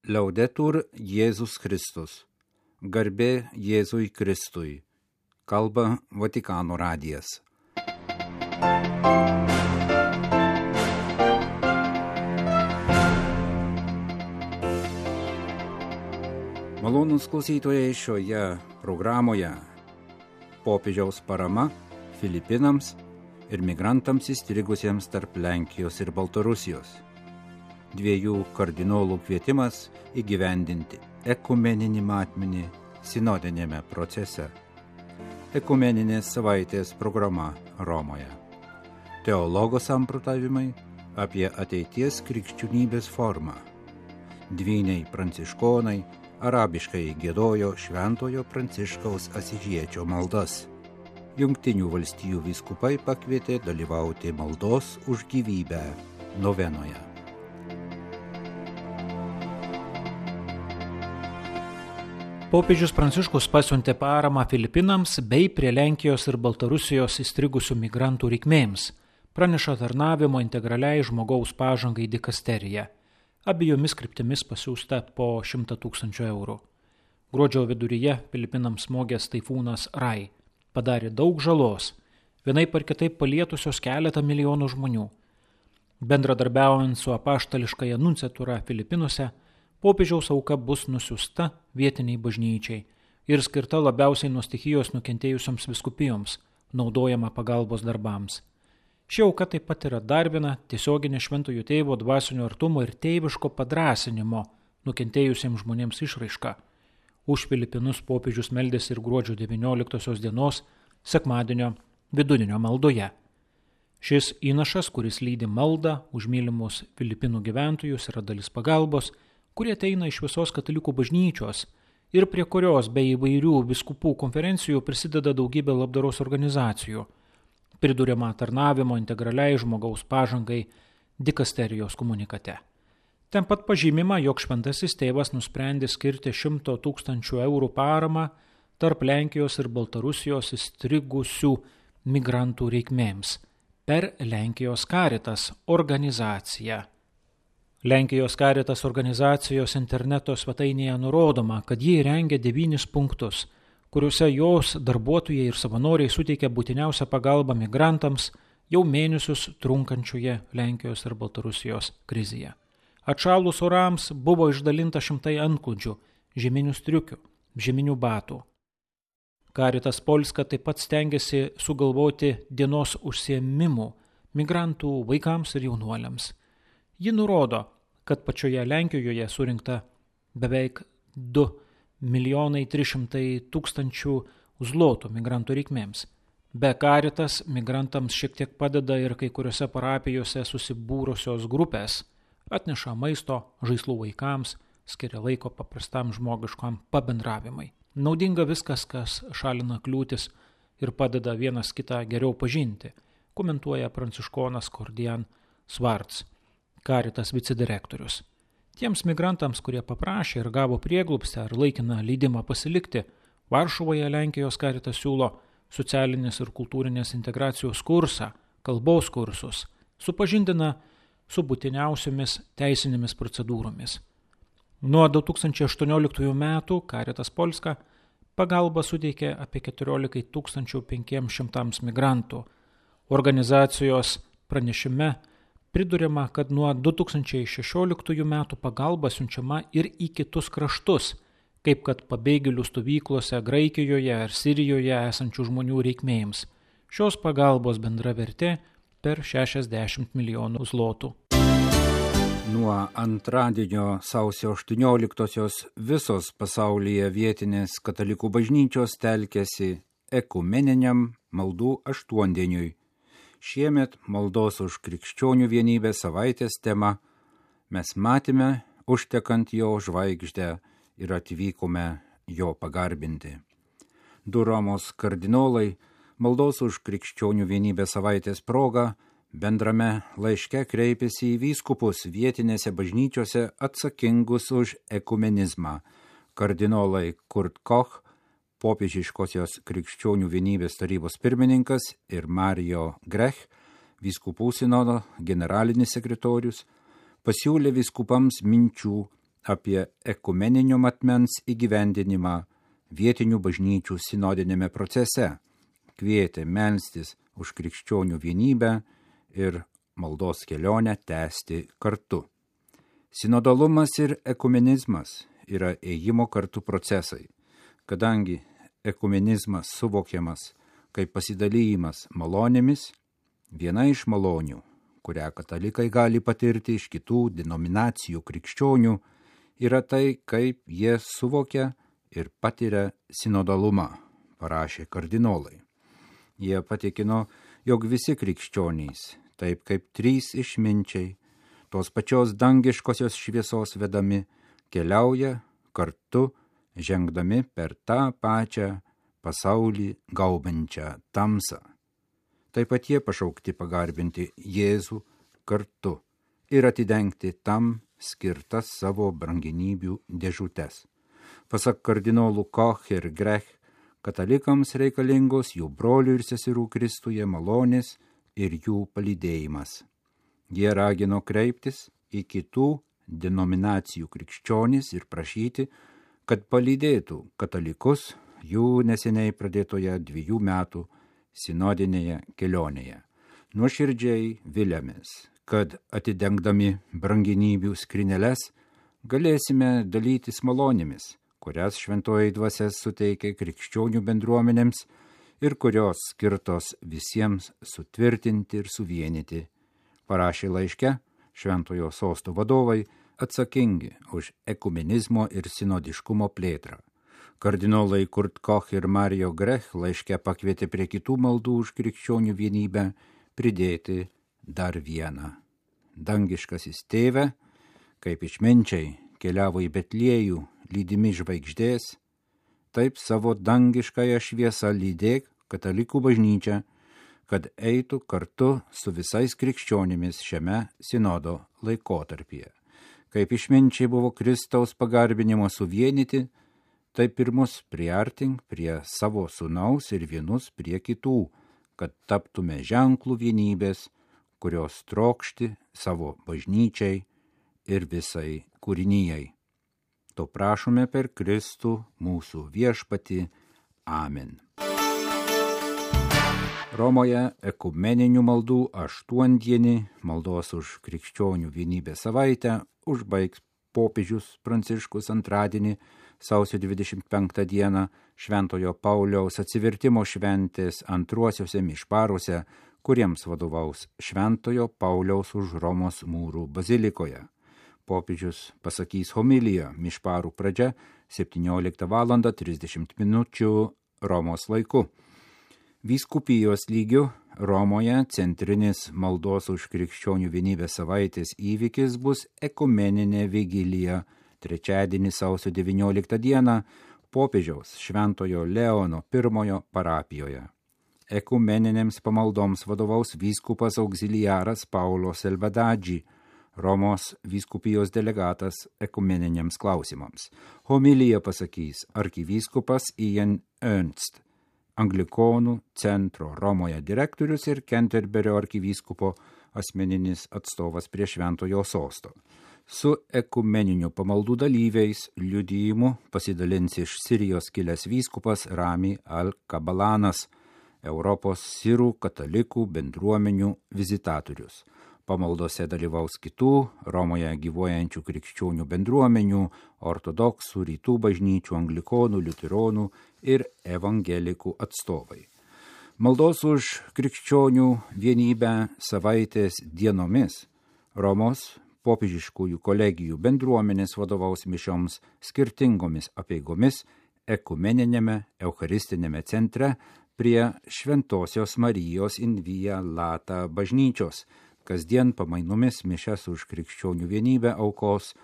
Liaudetur Jėzus Kristus. Garbė Jėzui Kristui. Kalba Vatikano radijas. Malonūs klausytojai, šioje programoje popiežiaus parama Filipinams ir migrantams įstrigusiems tarp Lenkijos ir Baltarusijos. Dviejų kardinolų kvietimas įgyvendinti ekumeninį matmenį sinodinėme procese. Ekumeninės savaitės programa Romoje. Teologo samprotavimai apie ateities krikščionybės formą. Dvyniai pranciškonai arabiškai giedojo Šventojo Pranciškaus Asyžiečio maldas. Jungtinių valstijų vyskupai pakvietė dalyvauti maldos už gyvybę novenoje. Popiežius Pranciškus pasiuntė paramą Filipinams bei prie Lenkijos ir Baltarusijos įstrigusių migrantų reikmėms, praneša tarnavimo integraliai žmogaus pažangai dikasterija. Abiejomis kryptimis pasiųsta po 100 000 eurų. Gruodžio viduryje Filipinams smogęs taifūnas Rai padarė daug žalos, vienaip ar kitaip palietusios keletą milijonų žmonių. Bendradarbiaujant su apaštališkąja nunciatūra Filipinuose, popiežiaus auka bus nusiųsta vietiniai bažnyčiai ir skirta labiausiai nuo stichijos nukentėjusioms vyskupijoms, naudojama pagalbos darbams. Ši auka taip pat yra dar viena tiesioginė Šventojo Tėvo dvasinio artumo ir tėviško padrąsinimo nukentėjusiems žmonėms išraiška. Už Filipinus popiežius meldėsi ir gruodžio 19 dienos sekmadienio vidudienio maldoje. Šis įnašas, kuris lydi maldą už mylimus Filipinų gyventojus, yra dalis pagalbos, kurie ateina iš visos katalikų bažnyčios ir prie kurios be įvairių vyskupų konferencijų prisideda daugybė labdaros organizacijų, priduriama tarnavimo integraliai žmogaus pažangai dikasterijos komunikate. Ten pat pažymima, jog Šventasis Tėvas nusprendė skirti 100 000 eurų paramą tarp Lenkijos ir Baltarusijos įstrigusių migrantų reikmėms per Lenkijos Caritas organizaciją. Lenkijos Caritas organizacijos interneto svetainėje nurodoma, kad jie rengia 9 punktus, kuriuose jos darbuotojai ir savanoriai suteikia būtiniausią pagalbą migrantams jau mėnesius trunkančioje Lenkijos ir Baltarusijos krizėje. Atšalus orams buvo išdalinta 100 antklodžių, žieminių striukių, žieminių batų. Caritas Polska taip pat stengiasi sugalvoti dienos užsiėmimų migrantų vaikams ir jaunuoliams. Ji nurodo, kad pačioje Lenkijoje surinkta beveik 2 300 000 zlotų migrantų reikmėms. Be Caritas migrantams šiek tiek padeda ir kai kuriuose parapijose susibūrusios grupės, atneša maisto, žaislų vaikams, skiria laiko paprastam žmogiškam pabendravimai. Naudinga viskas, kas šalina kliūtis ir padeda vienas kitą geriau pažinti, komentuoja pranciškonas Kordian Svarts, Caritas vicedirektorius. Tiems migrantams, kurie paprašė ir gavo prieglobstį ar laikiną leidimą pasilikti, Varšuvoje Lenkijos Caritas siūlo socialinės ir kultūrinės integracijos kursą, kalbos kursus, supažindina su būtiniausiomis teisinėmis procedūromis. Nuo 2018 metų Caritas Polska pagalbą suteikė apie 14 500 migrantų. Organizacijos pranešime priduriama, kad nuo 2016 metų pagalba siunčiama ir į kitus kraštus, kaip kad pabėgėlių stovyklose Graikijoje ar Sirijoje esančių žmonių reikmėms. Šios pagalbos bendra vertė per 60 milijonų zlotų. Nuo antradienio sausio 18-osios visos pasaulyje vietinės katalikų bažnyčios telkėsi ekumeniniam maldų aštuondieniui. Šiemet maldos už krikščionių vienybę savaitės tema mes matėme užtekant jo žvaigždę ir atvykome jo pagarbinti. Du Romos kardinolai maldos už krikščionių vienybę savaitės proga bendrame laiške kreipėsi į vyskupus vietinėse bažnyčiose atsakingus už ekumenizmą. Kardinolai Kurt Koch, popiežiškosios krikščionių vienybės tarybos pirmininkas, ir Mario Grech, vyskupų sinodo generalinis sekretorius, pasiūlė vyskupams minčių apie ekumeninio matmens įgyvendinimą vietinių bažnyčių sinodinėme procese, kvietė melstis už krikščionių vienybę ir maldos kelionę tęsti kartu. Sinodalumas ir ekumenizmas yra ėjimo kartu procesai, kadangi ekumenizmas suvokiamas kaip pasidalymas malonėmis, viena iš malonių, kurią katalikai gali patirti iš kitų denominacijų krikščionių, yra tai, kaip jie suvokia ir patiria sinodalumą, parašė kardinolai. Jie patikino, jog visi krikščionys, taip kaip trys išminčiai, tos pačios dangiškosios šviesos vedami, keliauja kartu, žengdami per tą pačią pasaulį gaubiančią tamsą. Taip pat jie pašaukti pagarbinti Jėzų kartu ir atidengti tam skirtas savo brangenybių dėžutes. Pasak kardinolų Koch ir Grech, katalikams reikalingos jų brolių ir seserų Kristuje malonės ir jų palydėjimas. Jie ragino kreiptis į kitų denominacijų krikščionis ir prašyti, kad palydėtų katalikus jų neseniai pradėtoje 2 metų sinodinėje kelionėje. Nuoširdžiai viliamės, kad atidengdami brangenybių skryneles galėsime dalytis malonėmis, kurias šventoji dvasia suteikia krikščionių bendruomenėms ir kurios skirtos visiems sutvirtinti ir suvienyti, parašė laiške Šventojo sosto vadovai atsakingi už ekumenizmo ir sinodiškumo plėtrą. Kardinolai Kurt Koch ir Mario Grech laiške pakvietė prie kitų maldų už krikščionių vienybę pridėti dar vieną. Dangiškasis tėve, kaip išminčiai keliavo į Betliejų lydimi žvaigždės, taip savo dangiškąją šviesą lydėk katalikų bažnyčią, kad eitų kartu su visais krikščionimis šiame sinodo laikotarpyje. Kaip išminčiai buvo Kristaus pagarbinimo suvienyti, taip ir mus priartink prie savo sūnaus ir vienus prie kitų, kad taptume ženklų vienybės, kurios trokšti savo bažnyčiai ir visai kūrinijai. To prašome per Kristų mūsų viešpatį. Amen. Romoje ekumeninių maldų 8-dienį maldos už krikščionių vienybę savaitę užbaigs popiežius Pranciškus antradienį, sausio 25 dieną, Šventojo Pauliaus atsivertimo šventės antruosiuose mišparuose, kuriems vadovaus Šventojo Pauliaus už Romos mūrų bazilikoje. Popiežius pasakys homiliją mišparų pradžia 17:30 Romos laiku. Vyskupijos lygiu Romoje centrinis maldos už krikščionių vienybę savaitės įvykis bus ekumeninė vigilija trečiadienį sausio 19 dieną popiežiaus Šventojo Leono I parapijoje. Ekumeninėms pamaldoms vadovaus vyskupas auxiliaras Paulo Selvadadži, Romos vyskupijos delegatas ekumeniniams klausimams. Homiliją pasakys arkivyskupas Ian Ernst, Anglikonų centro Romoje direktorius ir Kenterberio arkivyskupo asmeninis atstovas prie Šventojo sosto. Su ekumeniniu pamaldų dalyviais liudijimu pasidalins iš Sirijos kilęs vyskupas Rami Al-Kabalanas, Europos sirų katalikų bendruomenių vizitatorius. Pamaldose dalyvaus kitų Romoje gyvuojančių krikščionių bendruomenių, ortodoksų, rytų bažnyčių, anglikonų, liuteronų ir evangelikų atstovai. Maldos už krikščionių vienybę savaitės dienomis Romos popiežiškųjų kolegijų bendruomenės vadovaus mišioms skirtingomis apeigomis ekumeninėme eucharistinėme centre prie Šventosios Marijos in Via Lata bažnyčios. Kasdien pamainomis mišias už krikščionių vienybę aukos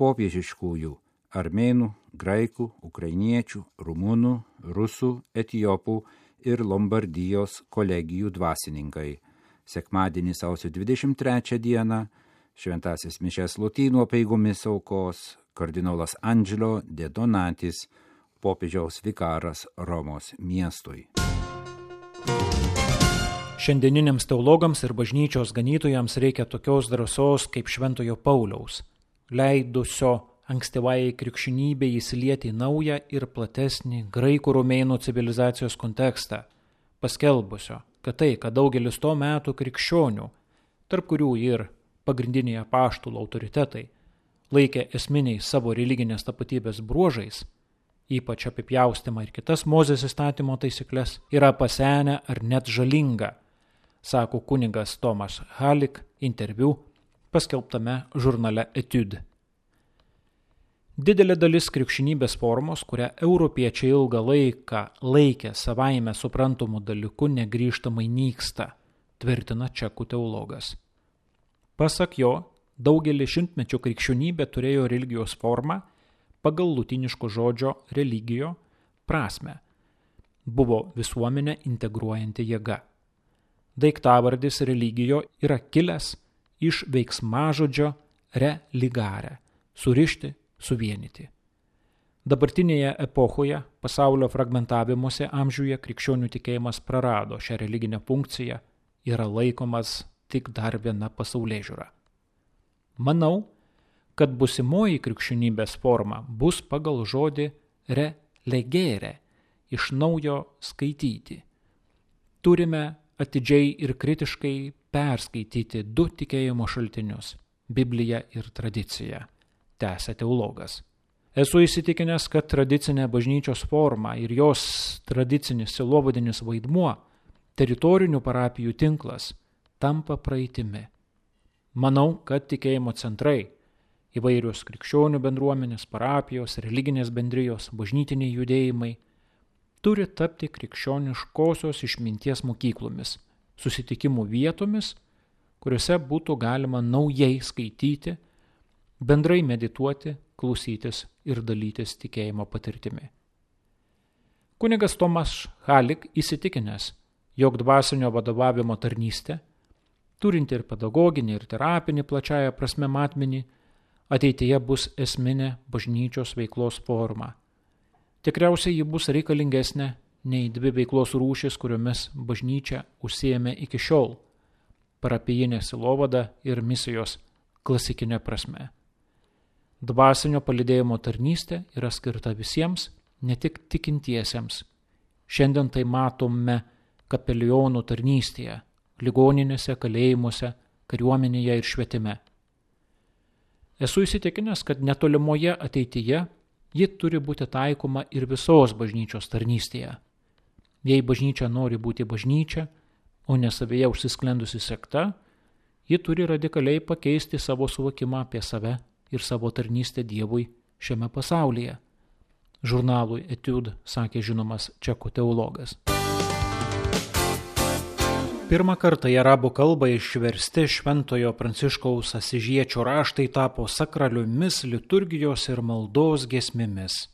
popiežiškųjų armėnų, graikų, ukrainiečių, rumunų, rusų, etiopų ir Lombardijos kolegijų dvasininkai. Sekmadienį sausio 23 dieną šventasis mišias lotynų apeigomis aukos kardinolas Angelo de Donatis, popiežiaus vikaras Romos miestui. Šiandieniniams teologams ir bažnyčios ganytojams reikia tokios drąsos kaip Šventojo Pauliaus, leidusio ankstyvai krikščionybei įsilieti į naują ir platesnį graikų romėnų civilizacijos kontekstą, paskelbusio, kad tai, kad daugelis to metų krikščionių, tarp kurių ir pagrindiniai apaštalų autoritetai, laikė esminiais savo religinės tapatybės bruožais, ypač apipjaustymą ir kitas Mozės įstatymo taisyklės, yra pasenę ar net žalinga, sako kunigas Tomas Halik interviu paskelbtame žurnale Etude. Didelė dalis krikščionybės formos, kurią europiečiai ilgą laiką laikė savaime suprantamų dalykų, negrįžtamai nyksta, tvirtina čekų teologas. Pasak jo, daugelį šimtmečių krikščionybė turėjo religijos formą pagal lotyniško žodžio religijo prasme. Buvo visuomenę integruojanti jėga. Daiktavardis religijo yra kilęs iš veiksmažodžio religare – surišti, suvienyti. Dabartinėje epochoje pasaulio fragmentavimuose amžiuje krikščionių tikėjimas prarado šią religinę funkciją, yra laikomas tik dar viena pasaulėžiūra. Manau, kad busimoji krikščionybės forma bus pagal žodį relegere, iš naujo skaityti. Turime atidžiai ir kritiškai perskaityti du tikėjimo šaltinius – Bibliją ir tradiciją, tęsia teologas. Esu įsitikinęs, kad tradicinė bažnyčios forma ir jos tradicinis sielovadinis vaidmuo, teritorinių parapijų tinklas, tampa praeitimi. Manau, kad tikėjimo centrai, įvairios krikščionių bendruomenės, parapijos, religinės bendrijos, bažnytiniai judėjimai, turi tapti krikščioniškosios išminties mokyklomis, susitikimų vietomis, kuriuose būtų galima naujai skaityti, bendrai medituoti, klausytis ir dalytis tikėjimo patirtimi. Kunigas Tomas Halik įsitikinęs, jog dvasinio vadovavimo tarnystė, turinti ir pedagoginį, ir terapinį plačiaja prasme matmenį, ateityje bus esminė bažnyčios veiklos forma. Tikriausiai ji bus reikalingesnė nei dvi veiklos rūšis, kuriomis bažnyčia užsiėmė iki šiol – parapijinė sielovada ir misijos klasikinė prasme. Dvasinio palydėjimo tarnystė yra skirta visiems, ne tik tikintiesiems. Šiandien tai matome kapelionų tarnystėje, ligoninėse, kalėjimuose, kariuomenėje ir švietime. Esu įsitikinęs, kad netolimoje ateityje ji turi būti taikoma ir visos bažnyčios tarnystėje. Jei bažnyčia nori būti bažnyčia, o ne savyje užsisklendusi sekta, ji turi radikaliai pakeisti savo suvokimą apie save ir savo tarnystę Dievui šiame pasaulyje. Žurnalui Etude sakė žinomas čekų teologas. Pirmą kartą į arabų kalbą išversti Šventojo Pranciškaus Asižiečio raštai tapo sakraliomis liturgijos ir maldos giesmėmis.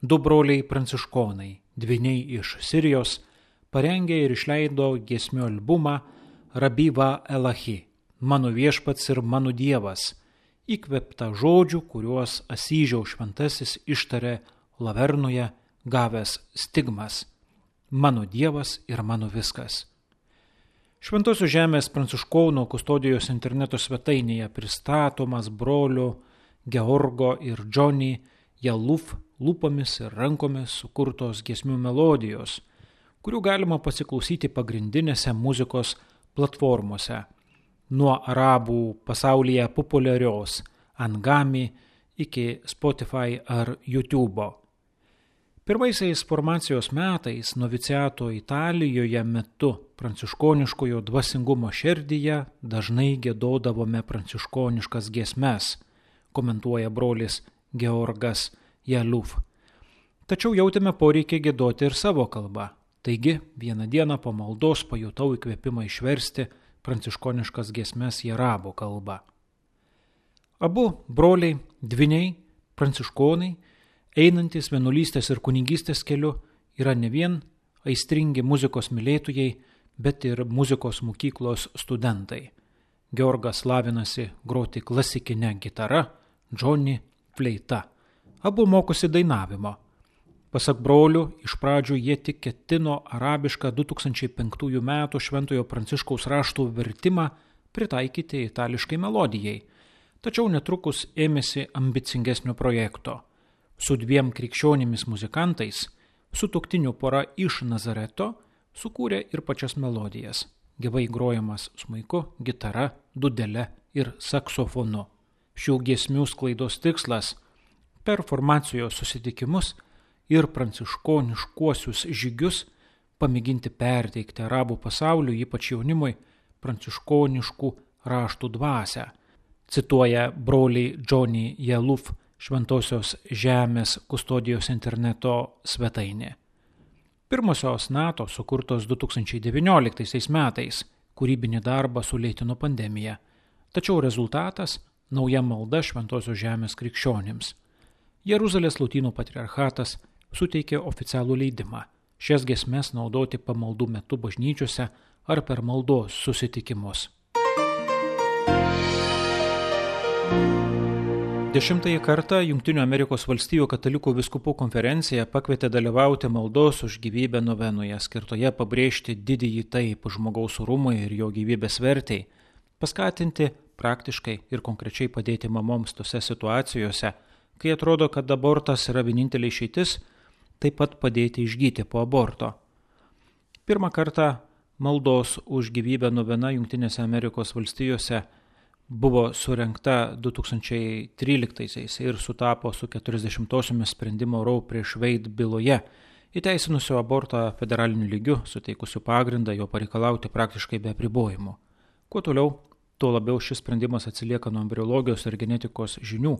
Du broliai pranciškonai, dvyniai iš Sirijos, parengė ir išleido giesmių albumą Rabiva Elahi, mano viešpats ir mano dievas, įkvėptą žodžių, kuriuos Asyžiaus šventasis ištarė Lavernoje, gavęs stigmas – mano dievas ir mano viskas. Šventosios žemės pranciškonų kustodijos interneto svetainėje pristatomas brolių Georgo ir Johnny Yaluf lūpomis ir rankomis sukurtos giesmių melodijos, kurių galima pasiklausyti pagrindinėse muzikos platformose, nuo arabų pasaulyje populiarios Angami iki Spotify ar YouTube'o. Pirmaisiais formacijos metais noviciato Italijoje metu pranciškoniškojo dvasingumo šerdyje dažnai giedodavome pranciškoniškas giesmes, komentuoja brolis Georgas Yaluf. Tačiau jautėme poreikį giedoti ir savo kalbą. Taigi, vieną dieną po maldos pajutau įkvėpimą išversti pranciškoniškas giesmes į arabų kalbą. Abu broliai, dvyniai, pranciškonai, einantis vienuolystės ir kunigystės keliu, yra ne vien aistringi muzikos mylėtojai, bet ir muzikos mokyklos studentai. Georgas lavinasi groti klasikinę gitarą, Johnny fleita. Abu mokosi dainavimo. Pasak brolių, iš pradžių jie tik ketino arabišką 2005 metų Šventojo Pranciškaus raštų vertimą pritaikyti itališkai melodijai. tačiau netrukus ėmėsi ambicingesnio projekto. Su 2 krikščionimis muzikantais, sutuoktinių pora iš Nazareto, sukūrė ir pačias melodijas, gyvai grojamas smuiku, gitara, dudele ir saksofonu. Šių giesmių sklaidos tikslas – per formacijos susitikimus ir pranciškoniškuosius žygius pamėginti perteikti arabų pasauliui, ypač jaunimui, pranciškoniškų raštų dvasią, cituoja broliai Johnny Yaluf Šventosios žemės kustodijos interneto svetainė. Pirmosios NATO sukurtos 2019 metais, kūrybinį darbą sulėtino pandemija, tačiau rezultatas – nauja malda Šventosios žemės krikščionims. Jeruzalės Lotynų patriarchatas suteikė oficialų leidimą šias giesmes naudoti pamaldų metu bažnyčiose ar per maldos susitikimus. 10 kartą Jungtinių Amerikos valstijų katalikų vyskupų konferencija pakvietė dalyvauti maldos už gyvybę novenoje, skirtoje pabrėžti didįjį taip žmogaus orumui ir jo gyvybės vertei, paskatinti praktiškai ir konkrečiai padėti mamoms tose situacijose, kai atrodo, kad abortas yra vienintelė išeitis, taip pat padėti išgyti po aborto. Pirmą kartą maldos už gyvybę novena Jungtinėse Amerikos valstijose buvo surengta 2013 ir sutapo su 40-osiomis sprendimo Roe prieš Wade byloje, įteisinusio abortą federaliniu lygiu, suteikusiu pagrindą jo pareikalauti praktiškai be apribojimų. Kuo toliau, tuo labiau šis sprendimas atsilieka nuo embriologijos ir genetikos žinių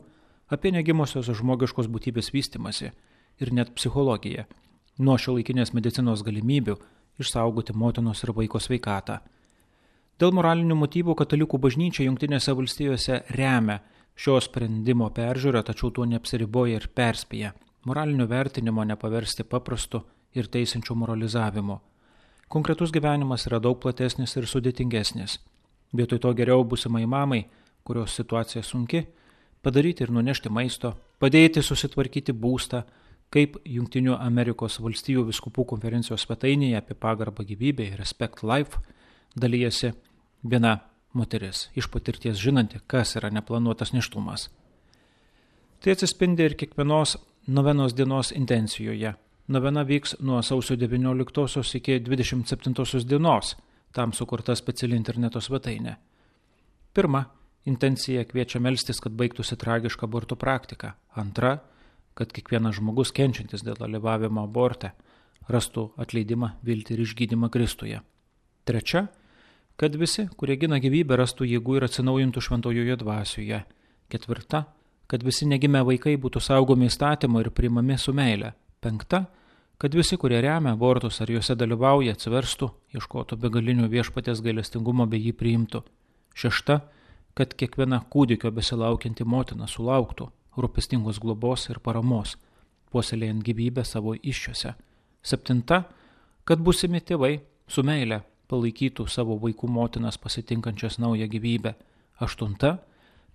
apie negimosios žmogiškos būtybės vystimasi ir net psichologiją, nuo šiuolaikinės medicinos galimybių išsaugoti motinos ir vaiko sveikatą. Dėl moralinių motyvų katalikų bažnyčia Jungtinėse valstijose remia šio sprendimo peržiūrą, tačiau tuo neapsiriboja ir perspėja moralinio vertinimo nepaversti paprastu ir teisinčiu moralizavimu. Konkretus gyvenimas yra daug platesnis ir sudėtingesnis. Vietoj to geriau būsimai mamai, kurios situacija sunki, padaryti ir nunešti maisto, padėti susitvarkyti būstą, kaip Jungtinių Amerikos valstijų vyskupų konferencijos svetainėje apie pagarbą gyvybei Respect Life dalyjasi viena moteris, iš patirties žinanti, kas yra neplanuotas nėštumas. Tai atsispindi ir kiekvienos novenos dienos intencijoje. Novena vyks nuo sausio 19 iki 27 dienos, tam sukurta speciali interneto svetainė. Pirma, intencija kviečia melstis, kad baigtųsi tragiška abortų praktika. Antra, kad kiekvienas žmogus kenčiantis dėl dalyvavimo aborte rastų atleidimą, viltį ir išgydymą Kristuje. Trečia, kad visi, kurie gina gyvybę, rastų jėgų ir atsinaujintų šventojoje dvasioje. Ketvirta, kad visi negimę vaikai būtų saugomi įstatymo ir priimami su meile. Penkta, kad visi, kurie remia abortus ar juose dalyvauja, atsiverstų, ieškotų begalinių viešpaties gailestingumo bei jį priimtų. Šešta, kad kiekviena kūdikio besilaukianti motina sulauktų rūpestingos globos ir paramos, puoselėjant gyvybę savo įsčiose. Septinta, kad būsimi tėvai su meile palaikytų savo vaikų motinas pasitinkančias naują gyvybę. Aštunta,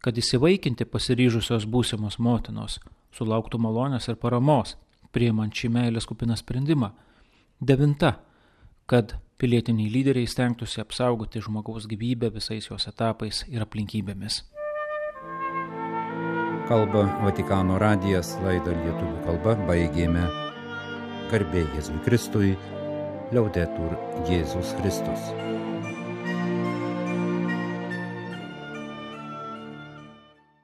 kad įsivaikinti pasiryžusios būsimos motinos sulauktų malonės ir paramos, priimant šį meilės kupiną sprendimą. Devinta, kad pilietiniai lyderiai stengtųsi apsaugoti žmogaus gyvybę visais jos etapais ir aplinkybėmis. Kalba Vatikano radijas, laidą lietuvių kalba baigėme. Garbė Jėzui Kristui, Liaudetur Jėzus Kristus.